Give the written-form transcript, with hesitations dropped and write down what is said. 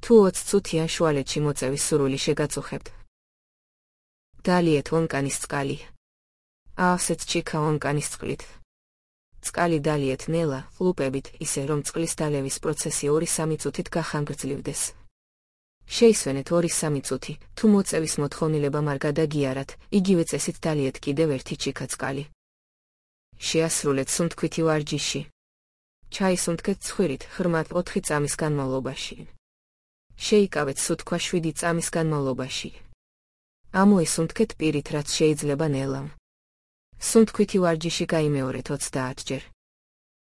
თუ 20 წუთიან შუალედში მოწევის სურვილი შეგაწუხებთ. დალიეთ ონკანის წყალი. ავსეთ ჩიქა ონკანის წყლით. წყალი დალიეთ ნელა, ლუპებით, ისე რომ წყლის დალევის პროცესი 2-3 წუთით გახანგრძლივდეს. შეისვენეთ 2-3 წუთი, თუ მოწევის მოთხოვნილება არ გადაგიარათ, იგივე წესით დალიეთ კიდევ ერთი ჩიქა წყალი. შეასრულეთ სუნთქვითი ვარჯიში. ჩაისუნთქეთ ცხვირით ღრმად 4 წამის განმავლობაში. შეიკავეთ სუთქვა 7 წამის განმავლობაში. ამოისუნთქეთ პირით, რაც შეიძლება ნელამ. სუნთქვითი ვარჯიში გაიმეორეთ 30 ჯერ.